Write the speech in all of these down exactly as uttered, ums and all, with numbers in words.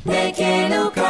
Ndeke Luka.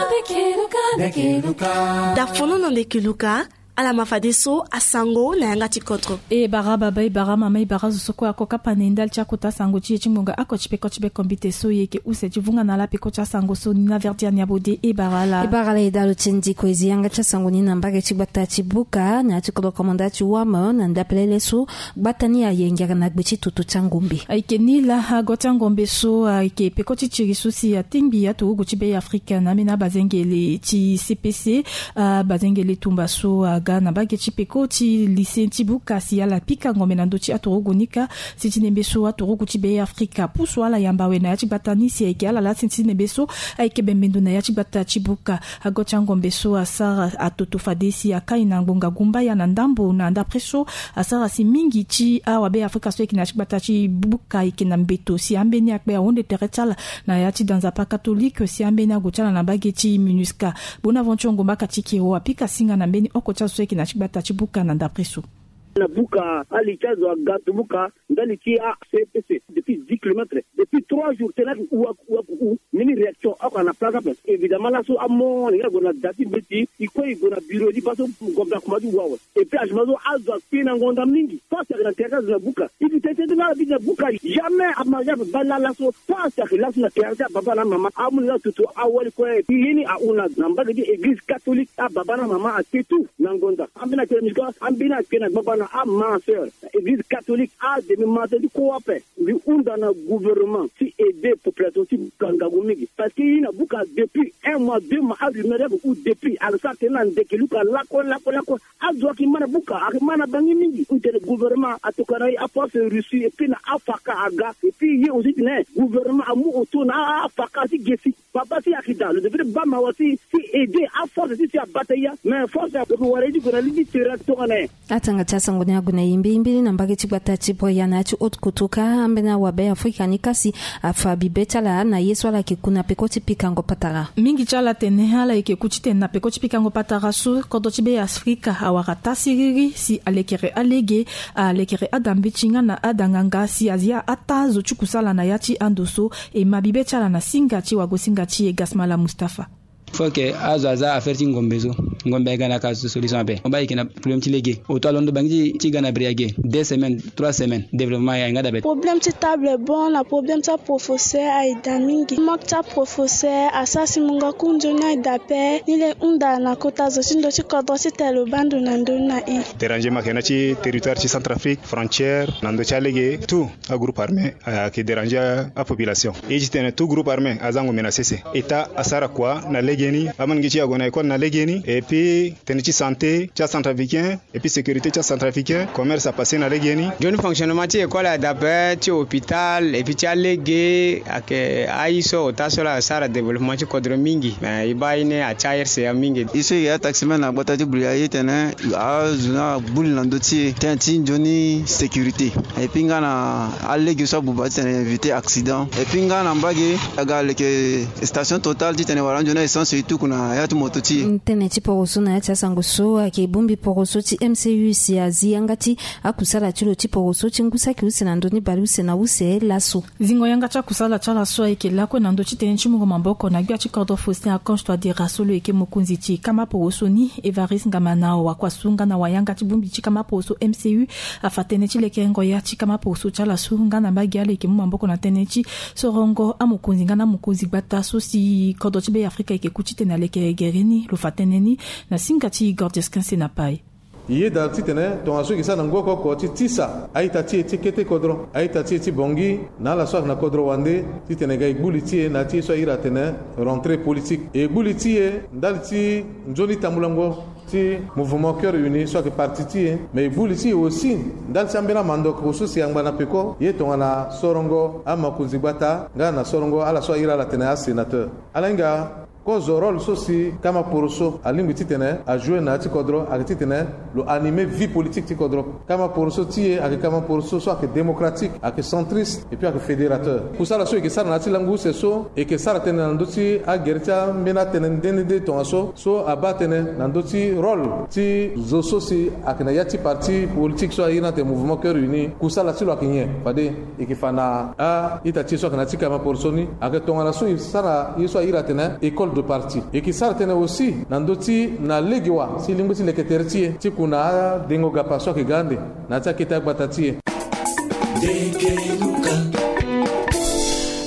Ndeke Luka, Ndeke Luka. Da fono na Ndeke Luka, ala ma fadeso asango na yanga ti kodro. E bara baba, e bara mama, e bara zo so kue ako kapa na e ndali ti akota sango ti e ti ngonga oko ti peko ti be kombite so e yeke use ti vunga na ala peko ti asango so ni na Verdiane Abode. E bara ala. E bara ala e dalo ti e ndiko e zi yanga ti asango ni na mbage ti gbata ti buka na ya ti kodro komanda ti wam na ndapelele so gbata ni ayengere na gbe ti toto ti angombe. Ayeke ni laa ago ti angombe so ayeke peko ti tiri so si atingbi aturugu ti Be Afrika na ambeni abazengele ti C P C, abazengele tumba so aga na mbage ti peko ti lycée ti buka si ala pika ngombe na ndö ti aturugu ni kâ. Si ti nembe so aturugu ti Be Afrika pusu ala yamba awe na ya ti gbata ni si ayeke ala laa si ti nembe so ayeke bembe ndo na ya ti gbata ti buka. Ago ti angombe so asara atoto fade si akai na ngbonga gumbaya na ndambo na ndapre so asara si mingi ti awabe Afrika so ayeke na ya ti gbata ti buka ayeke na mbeto si ambeni akpe ahunde tere ti ala na ya ti da nzapa katolike si ambeni ague ti ala na mbage ti MINUSCA. Bonaventure Ngombaka ti Kero apika singa na mbeni oko ti azo so ayeke na ya ti gbata ti buka na ndapre so. Na buka, ali ti azo aga tu buka ndali ti a C P C depuis dix kilomètres, depuis trois jours tena ku ua ku ua ku u. Mini réaction oko na place ape. Évidemment laso amo ni nga gue na da ti mbeti, i kue i gue na bureau ti baa so ngombe akoma ti wa awe. Et puis agement so azo akpe na ngonda mingi. Force ayeke na tere ti azo na buka. I bi tete ti nga ala bi na buka, jamais amariage ape baa laa laso. Force ayeke laso na tere ti ababa na amama, amu ni nga tutu awali kue. Ye ni ahunda na mbage ti église catholique, ababa na amama akpe tout na ngonda. Ambeni akpe na musique, ambeni akpe na gbagba na ama sœur. Église catholique, ademi mata ti kue ape. Mbi hunda na gouvernement ti aider population ti buka ngangu mingi. Parce que i na buka depuis un mois, deux mois, arumeur yako ou depuis, ala sara tene na Ndeke Luka lakue lakue lakue. Azo ayeke ma na buka, ayeke ma na Bangui mingi. Hunda tene gouvernement atokua na e, aforce russie et puis na afaka aga. Et puis ye aussi tene gouvernement amu auto na afaka ti ge si papa si ayeke daa lo devait baa mawa si, si aider aforce si si abata ya. Mais force ayeke wara ye ti gue na li ti terrain tongana nyen? Atanga ti asango ni ague na e mbirimbiri na mbage ti gbata ti Bria na ya ti Haute Kotoka, ambeni awabe Afrika ni kasi afa bibe ti ala na ye so ala yeke ku na peko ti pikango patara. Mingi ti ala tene ala yeke ku titene na peko ti pikango patara so kodro ti Be Afrika awara taa siriri si alekere alege, alekere adambeti nga na adanganga si azia ataa zo ti kusala na ya ti ando so e ma bibe ti ala na singa ti wagosinga ti e Gasmala Mustapha. Faut que azo aza affaire ti ngombe so. Ngombe ayeke na ka solution ape. Mo baa ayeke na problème ti lege. Auto alondo bangi ti, ti ga na bri age. Deux semaines, trois semaines, développement ayeke nga dabe. Problème ti table banc na problème ti aprofesseur ayeke daa mingi. Manque ti aprofesseur asara si mungo ku nzoni ayeke daa ape. Ni le hunda na kota zo ti ndo ti kodro titene lo baa ndo na ndö ni na e. Dérangement ayeke na ti territoire ti Centrafrique, frontière, na ndö ti alege, tout agroupe armé ayeke déranger apopulation. E ti tene tout groupe armé aza ngombe na sese. État asara kua na legeni, amangi ti e ague na école na legeni, et puis tënë ti santé ti acentrafricain, et puis sécurité ti acentrafricain, commerce apassé na legeni. Nzoni fonctionnement ti école ayeke daa ape, ti hôpital et puis ti alege ayeke. Aye so ota so laa asara développement ti kodro mingi. Mais e baa ye ni atia R C A mingi. E so e yeke ataximan na gbata ti Bria, ye tene azo ni abuli na ndö ti e tënë ti nzoni sécurité. Et puis nga na alege so abuba titene éviter accident. Et puis nga na mbage aga leke station Total titene wara nzoni essence e tuku na ya ti moto ti e. Tënë ti poroso na ya ti asango so ayeke bongbi poroso ti M C U si azi yanga ti akusala ti lo ti poroso ti ngu saki use na ndö ni bale use na use laso. Zingo yanga ti akusala ti ala so ayeke lakue na ndö ti tënë ti mungo maboko na gbia ti kodro Faustin Archange Touadéra so lo yeke mokonzi ti kama poroso ni, Évariste Ngamanao, wakua su nga na wayanga ti bongbi ti kama poroso M C U, afa tënë ti lekerengo ya ti kama poroso ti ala so nga na mbage ala yeke mu maboko na tënë ti sorongo amokonzi nga na amokonzi gbata so si kodro ti Be Afrika ayeke ku titene alekere gere ni. Lo fa tënë ni na singa ti Gordius Quince na Paye. E yeda titene tongaso e yeke sara na ngu oko oko ti tisa a-ita ti e ti kete kodro, a-ita ti e ti Bangui na ala so ayeke na kodro wande, titene e ga e gbu li ti e na ya ti ye so a iri atene rentrée politique. E gbu li ti e ndali ti nzoni tambulango ti Mouvement Cœur Uni so ayeke parti ti e. Mais e gbu li ti e aussi ndali ti ambeni amandoko so si angba na peko ye tongana sorongo amakonzi gbata nga na sorongo ala so a iri ala atene asénateur. Ala hinga Kozo rôle so si kama poroso alingbi titene ajoue na ya ti kodro ayeke titene lo anime vie politique ti kodro. Kama poroso ti e ayeke kama poroso so ayeke démocratique, ayeke centriste et puis ayeke fédérateur. Kusala so e yeke sara na ya ti lango use so e yeke sara tënë na ndö ti agere ti ambeni atënë nde nde nde tongaso so abaa tënë na ndö ti rôle ti zo so si ayeke na ya ti parti politique so airi ni atene Mouvement Cœur Uni. Kusala ti lo ayeke nyen? Fade e yeke fa na a-ita ti e so ayeke na ya ti kama poroso ni ayeke tongana so e sara ye so airi atene école de parti. E yeke sara tënë aussi na ndö ti na lege wa si e lingbi ti leke tere ti e ti ku na adengo gapa so ayeke ga ande na ya ti akete agbata ti e.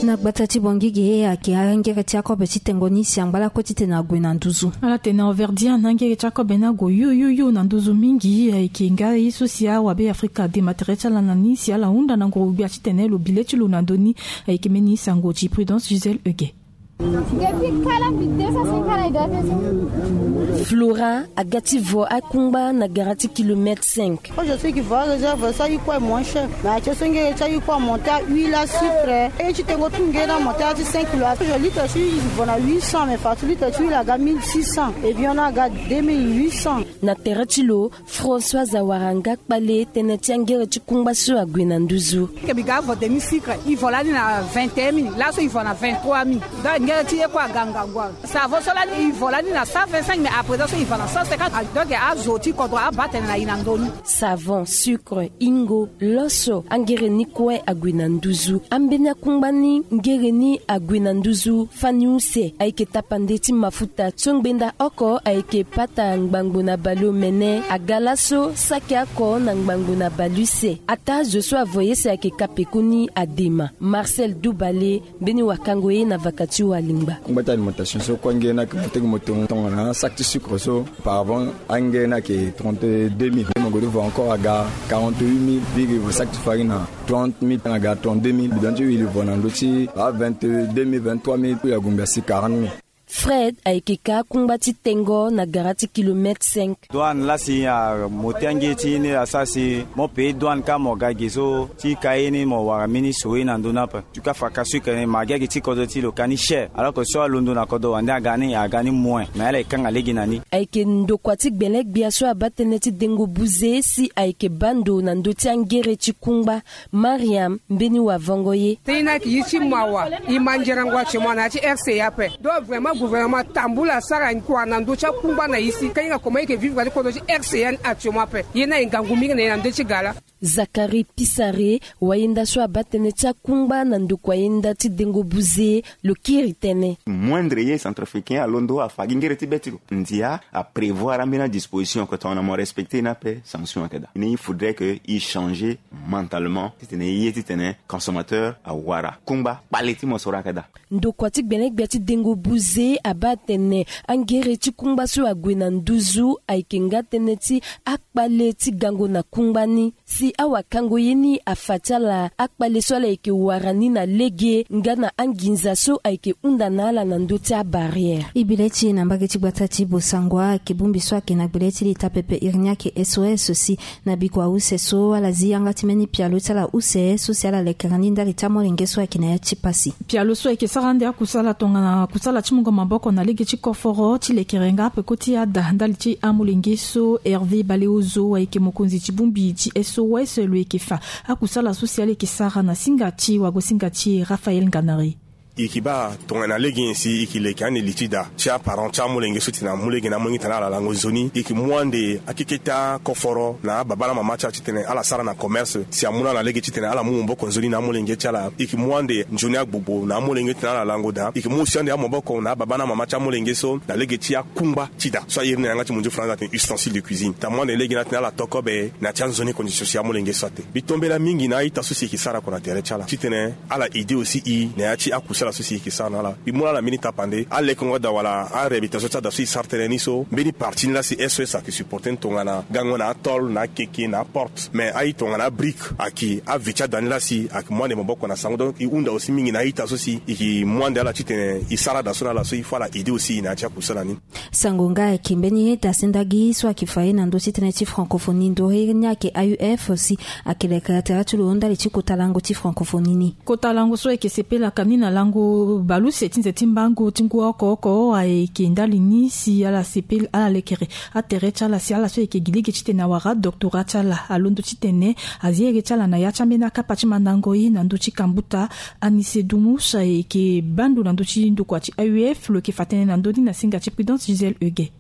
Na gbata ti Bangui ge ayeke angere ti akobe ti tengo ni si angba lakue titene ague na nduzu. Ala tene Auvergnat na angere ti akobe ni ague yuyuyu na nduzu mingi. Ayeke nga ye so si awabe Afrika ade ma tere ti ala na ni si ala hunda na nguru-gbia titene lo bi le ti lo na ndö ni. Ayeke mbeni sango ti Prudence Gisèle Huguet. Depuis kala mbi deux cent cinquante na e doit faire ça. Flora aga ti vo akungba na gara ti kilomètre cinq. Quand je sais qu'il va réserve ça, il coûte moins cher. Mais atie so ngere ti il coûte monter à huit la sucre. Et tu tengo tout ngere na monter à cinq kilos. Je litre sur il vend à huit cents, mais partout litre sur il aga mille six cents. Et bien on a aga deux mille huit cents. Na tere ti lo Françoise Awaranga kpale tënë ti angere ti kungba so ague na nduzu. Ke mbi ga vo demi sucre, il vend lani na vingt et un mille, laso il vend na vingt-trois mille. Donc ngere ti ye kue aga ngangu awe. Savon so lani il vend lani na cent vingt-cinq mille, à présent so il vend na cent cinquante. Donc azo ti kodro abaa tënë na e na ndö ni. Savon, sucre, ingo, loso, angere ni kue ague na nduzu. Ambeni akungba ni ngere ni ague na nduzu fani use. Ayeke tapande ti mafuta so ngbenda oko ayeke pata ngbangbo na baleomene aga laso saki oko na ngbangbo na baleuse. Ataa zo so avo ye si ayeke ka pekoni adema. Marcel Dubale, mbeni wakango ye na vaka ti walingba. Kungba ti alimentation so kue angere ni ayeke mo tënë mo tongana saki ti sucre so. Auparavant angere ni ayeke trente-deux mille. Mo gue ti vo encore aga quarante-huit mille. Biri vo saki ti farine na trente mille, tanga aga trente-deux mille. Bidon ti huile vo na ndö ti a vingt-deux mille, vingt-trois mille. Puis ague ngba si quarante mille. Fred ayeke ka akungba ti tengo na gara ti kilomètre cinq. Douane la si a mo ti ange ti ni asara si mo paye douane ka mo ga ge so ti ka ye ni mo wara mbeni so ye na ndö ni ape. Tu ka fa ka sucre ni ma gi agi ti kodro ti lo ka ni cher. Alors que so alondo na kodro wande aga ni aga ni moins. Mais ala e kanga lege na ni. Ayeke ndokua ti gbele gbia so abaa tënë ti dengo buze si ayeke baa ndo na ndö ti angere ti kungba. Mariam, mbeni wavango ye. Tënë ni ayeke ye ti mawa. E ma nzerango actuellement na ya ti R C A ape. Donc vraiment gouvernement atambula asara kua na ndö ti akungba na e si ka hinga comment e yeke vivre na ti kodro ti R C A ni actuellement ape. Ye ni aye ngangu mingi na e na ndö ti ga laa. Zacharie Pisare, wayenda so abaa tënë ti akungba na ndokua yenda ti dengo buze, lo kiri tënë. Moindre ye centrafricain alondo afa gi ngere ti be ti lo. Ndia aprévoir ambeni adisposition oko tongana mo respecter ni ape sanction ayeke daa. Ni il faudrait que e changer mentalement titene e ye titene consommateur awara kungba kpale ti mosoro ayeke daa. Ndokua ti gbele gbia ti dengo buze abaa atene angere ti kungba so ague na nduzu ayeke nga tënë ti akpale ti gango na kungba ni. Si awakango ye ni afa ti ala akpale so ala yeke wara ni na lege nga na anginza so ayeke hunda na ala na ndö ti abarrière. E bi le ti e na mbage ti gbata ti Bossangoa ayeke bongbi so ayeke na gbele ti leta pepe iri ni ayeke S O S si na bikua use so ala zi yanga ti mbeni pialo ti ala use so si ala lekere ni ndali ti amolenge so ayeke na ya ti pasi. Pialo so ayeke sara ande akusala tongana kusala ti mungo maboko na lege ti koforo ti lekere nga peko ti ada ndali ti amolenge so Hervé Baleozo ayeke mokonzi ti bongbi ti S O S lo yeke fa akusala so si ala yeke sara na singa ti wagosinga ti e Raphaël Nganari. E yeke baa tongana lege nyen si e yeke leke ande li ti da ti aparent ti amolenge so titene amu lege na amolenge titene ala lango nzoni. E yeke mu ande akeke ti akoforo na ababa na amama ti ala titene ala sara na commerce si amu na ala lege titene ala mu maboko nzoni na amolenge ti ala. E yeke mu ande nzoni agbogbo na amolenge titene ala lango daa. E yeke mu aussi ande amaboko na ababa na amama ti amolenge so na lege ti akungba ti da so a iri ni na yanga ti mondio faranza atene ustensile de cuisine. Tamu ande lege ni atene ala to kobe na ya ti anzoni condition si amolenge so ate. Mbi tombela mingi na a-ita so si e yeke sara oko na tere ti ala titene ala aide aussi e na ya ti akusala so si e yeke sara na ala. Mbi mu na ala mbeni tapande alekongo ada wala aréhabilitation ti ada so e sara tënë ni so mbeni parti ni la si S O S ayeke supporter ni tongana gango na atôle na akeke na aporte. Mais aye tongana abrique ayeke ave ti ada ni la si ayeke mu ande maboko na sango. Donc e hunda aussi mingi na a-ita so si e yeke mu ande ala titene e sara ada so na ala so il faut ala aide aussi e na ya ti akusala ni. Sango nga ayeke mbeni ye da sendagi so ayeke fa ye na ndö ti tënë ti francophonie ndori ni ayeke A U F si ayeke leke tere ti lo ndali ti kota lango ti francophonie ni. Kota lango so ayeke sepelaka ni na lango baleuse ti nze ti mbango ti ngu oko oko ayeke ndali ni si ala sepela ala lekere atere ti ala si ala so ayeke gi lege titene awara doctorat ti ala alondo titene azi ere ti ala na ya ti ambeni akapa ti mandango ye na ndö ti kambuta. Anise Dumus ayeke bando na ndö ti ndokua ti A U F lo yeke fa tënë na ndö ni na singa ti Prudence Gisèle Huguet.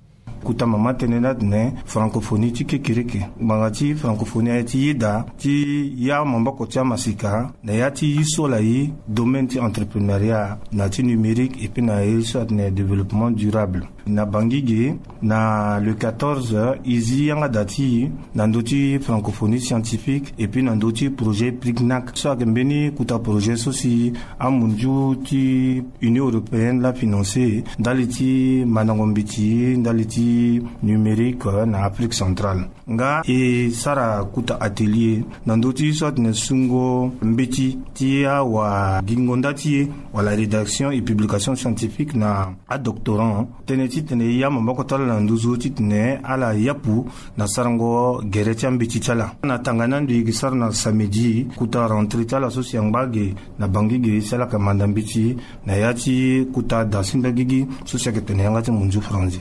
Kuta mama tënë ni atene francophonie ti kekereke ngbanga ti francophonie aye ti yeda ti ya maboko ti amasika na ya ti yi so ala yi domaine ti entrepreneuriat na ti numérique epui na ye so atene développement durable. Na Bangui ge na le quatorze e zi yanga da ti e na ndö ti francophonie scientifique epui na ndö ti projet prignac so ayeke mbeni kuta projet so si amunzu ti Union européenne la financer ndali ti mandango mbeti ndali ti numérique na Afrique centrale. Nga e sara kuta atelier na ndö ti so atene sungo mbeti ti awagingo nda ti e wala rédaction et publication scientifique na adoctorant tënë titene e ya maboko ti ala na nduzu titene ala yapu na sarango gere ti ambeti ti ala. Na tanga ni ando e yeke sara na samedi kuta rentrée ti ala so si angba ge na Bangui ge si ala yeke manda mbeti na ya ti kuta da sindagigi so si ayeke tene yanga ti munzu franzi.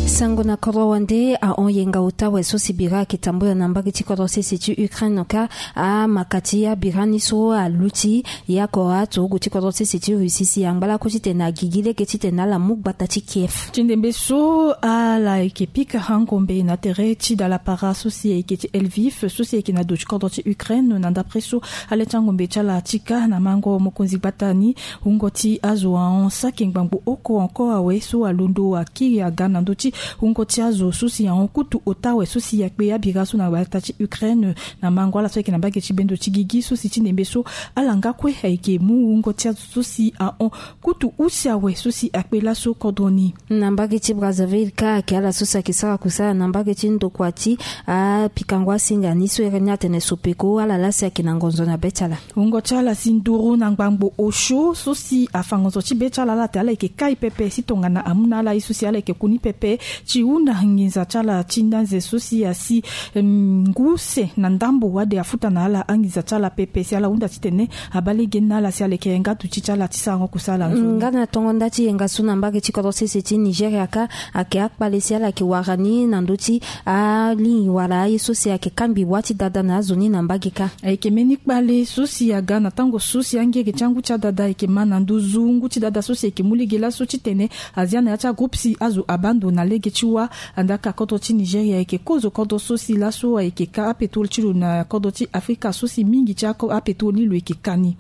Sango na kodro wande ahon yenga ota awe so si bira ayeke tambula na mbage ti kodro sese ti Ukraine ka amaka ti abira ni so aluti. Yako aturugu ti kodro sese ti Russie si angba lakue titene agigi lege titene ala mu gbata ti Kiev. Ti ndembe so ala yeke pika hangombe na tere ti dalapara so si ayeke ti Lviv so si ayeke na do ti kodro ti Ukraine na ndapre so ale ti angombe ti ala ti ka na mango mokonzi gbata ni. Wungo ti azo ahon saki ngbangbo oko encore awe so alondo akiri aga na ndö ti wungo ti azo so si ahon kutu ota awe so si akpe abira so na gbata ti Ukraine na mango ala so ayeke na mbage ti bendo ti gigi so si ti ndembe so ala nga kue ayeke mu wungo ti azo so si ahon kutu use awe so si akpe laso kodro ni. Na mbage ti Brazzaville ka ayeke ala so si ayeke sara kusala na mbage ti ndokua ti apikango asinga ni so ere ni atene sopeko ala laa si ayeke na ngonzo na be ti ala. Wungo ti ala si nduru na ngbangbo osio so si afa ngonzo ti be ti ala ala te ala yeke kai pepe si tongana amu na ala ye so si ala yeke ku ni pepe ti hunda nginza ti ala ti ndanze so si asi ngu use na ndambo wade afuta na ala anginza ti ala pepe si ala hunda titene abaa lege ni na ala si ala yeke nga duti ti ala ti sarango kusala nzoni. Nga na tongo nda ti yenga so na mbage ti kodro sese ti Nigeria ka ayeke akpale si ala yeke wara ni na ndö ti alingbi wala aye so si ayeke kangbi wâ ti dada na azo ni na mbage ka. Ayeke mbeni kpale so si aga na tango so si angege ti angu ti adada ayeke ma na nduzu ngu ti dada so si ayeke mu lege laso titene azia na ya ti agroupe si azo abaa ndo na lege ti wâ. Andaka kodro ti Nigeria ayeke kozo kodro so si laso ayeke ka apétrole ti lo na kodro ti Afrika so si mingi ti ako apétrole ni lo yeke ka ni.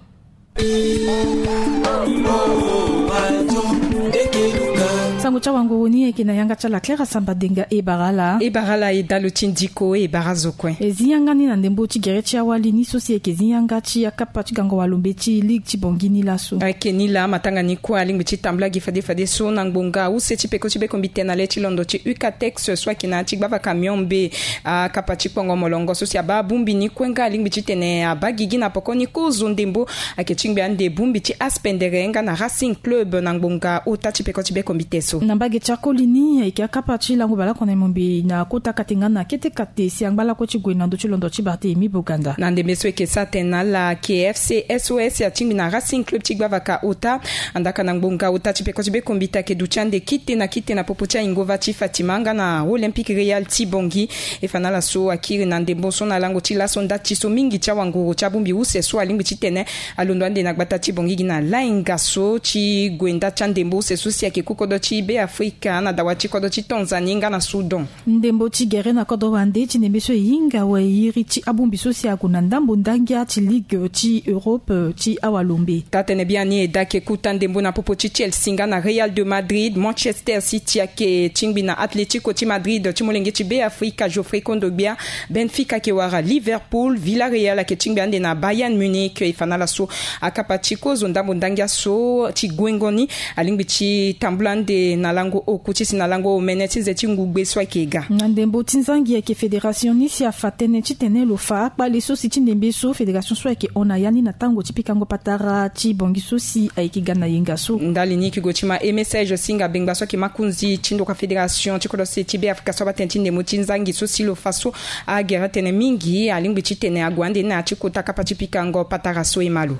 Sango ti awanguru ni ayeke na yanga ti ala Claire Asamba Denga. E bara ala. E bara ala e dalo ti ndiko e bara zo kue. E zi yanga ni na ndembo ti gere ti awali ni so si ayeke zi yanga ti akapa ti gango walombe ti ligue ti Bangui ni laso. Ayeke ni laa matanga ni kue alingbi ti tambula gi fade fade so na ngbonga use ti peko ti bekombite na le ti londo ti UCATEX so ayeke na ya ti gbavaka miombe. Akapa ti kpongo molongo so si abaa abongbi ni kue nga alingbi titene abaa gigi na poko ni kozo ndembo ayeke ti ngbi ande bongbi ti aspendere nga na Racing Club na ngbonga ota ti peko ti bekombite so. Na mbage ti akoli ni ayeke akapa ti lango baleoko na e mombe na kota kate nga na kete kate si angba lakue ti gue na ndö ti londo ti Barthélemy Boganda. Na ndembe so e yeke sara tene na ala KFC SOS atingbi na Racing Club ti gbavaka ota. Andaka na ngbonga ota ti peko ti bekombite ayeke duti ande kite na kite na popo ti aingova ti Fatima nga na Olympique Real ti Bangui. E fa na ala so akiri na ndembo so na lango ti laso nda ti so mingi ti awanguru ti abongbi use so alingbi titene alondo ande na gbata ti Bangui gi na lainga so ti gue nda ti andembo use so si ayeke ku kodro ti Beafrika na dawa ti kodro ti Tanzanie nga na Soudan. Ndembo ti gere na kodro wande ti ndembe so e hinga awe iri ti abongbi so si ague na ndambo ndangia ti Ligue ti Europe ti awalombe. Taa-tënë biani e daa ayeke kuta ndembo na popo ti Chelsea nga na Real de Madrid, Manchester City ayeke tingbi na Atlético ti Madrid ti molenge ti Beafrika Geoffrey Kondogbia, Benfica ayeke wara Liverpool, Villarreal ayeke tingbi ande na Bayern Munich. E fa na ala so akapa ti kozo ndambo ndangia so ti guengo ni alingbi ti tambula ande na Lango oku ti si na lango omene ti nze ti ngugbe so ayeke ga. Na ndembo ti nzangi ayeke fédération ni si afa tënë titene lo fa akpale so si ti ndembe so fédération so ayeke hon na ya ni na tango ti pikango patara ti bongi so si ayeke ga na yenga so. Ndali ni yeke gue ti ma e message si hinga bengba so ayeke makonzi ti ndokua fédération ti kodro se ti be afrika so abaa tënë ti ndembo ti nzangi so si lo fa so agere atene mingi alingbi titene ague ande na ya ti kota kapa ti pikango patara so e ma lo.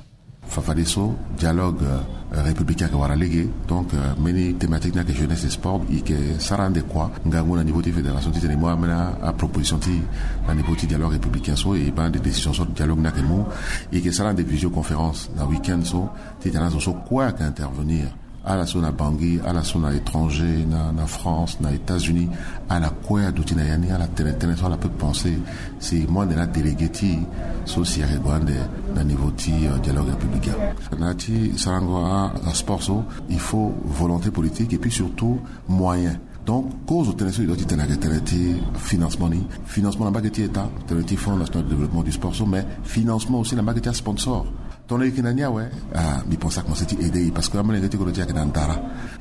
Fafadeso dialogue républicain ayeke wara lege. Donc mbeni thématique ni ayeke jeunesse et sport, e yeke sara ande kua ngangu na niveau ti fédération titene e mu ambeni aproposition ti na niveau ti dialogue républicain so e baa ande décision so dialogue ni ayeke mu. E yeke sara ande visioconférence na week-end so titene azo so kue ayeke intervenir, ala so na bangi, ala so na étranger, na france, na états-unis, ala kue aduti na ya ni ala tene tënë so ala peut penser. Si e mu ande na adélégué ti e so si ayeke gue ande na niveau ti dialogue républicain. Na ya ti sarango asport so, il faut volonté politique et puis surtout moyen. Donc kozo tënë so e dua ti tene ayeke tënë ti financement ni. Financement na mbage ti état, tënë ti fonds national de développement du sport so, mais financement aussi na mbage ti asponsor. Tongana e yeke na ni awe, mbi pense akomense ti aider e parce que amolenge ti kodro ti e ayeke na ndara.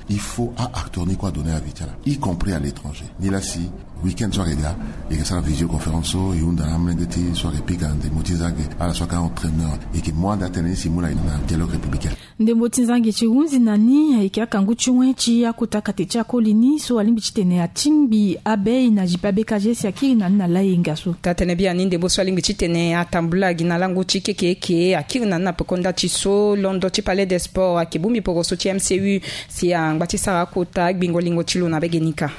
Il faut a-acteur ni kue adonner avis ti ala, y compris à l'étranger. Nilaa si week-end so ayeke ga, e yeke sara visioconférence so e hunda na amolenge ti so ayeke pika ndembo ti nzangi, ala so ayeke entraîneur, e yeke mu ande atënë ni si e mu na dialogue républicain. Ndembo ti nzangi ti hunzi na ni ayeke akangu ti wen ti akota kate ti akoli ni so alingbi titene atingbi abei na zipa beka ge si akiri na ni na layenga so. Taa tënë biani ndembo so alingbi titene atambula gi na lango ti keke eke akiri na ni na peko nda ti so londo ti palais des sports ayeke bongbi poroso ti mcu si angba ti sara akota gbingo lingo ti lo na bege ni ka.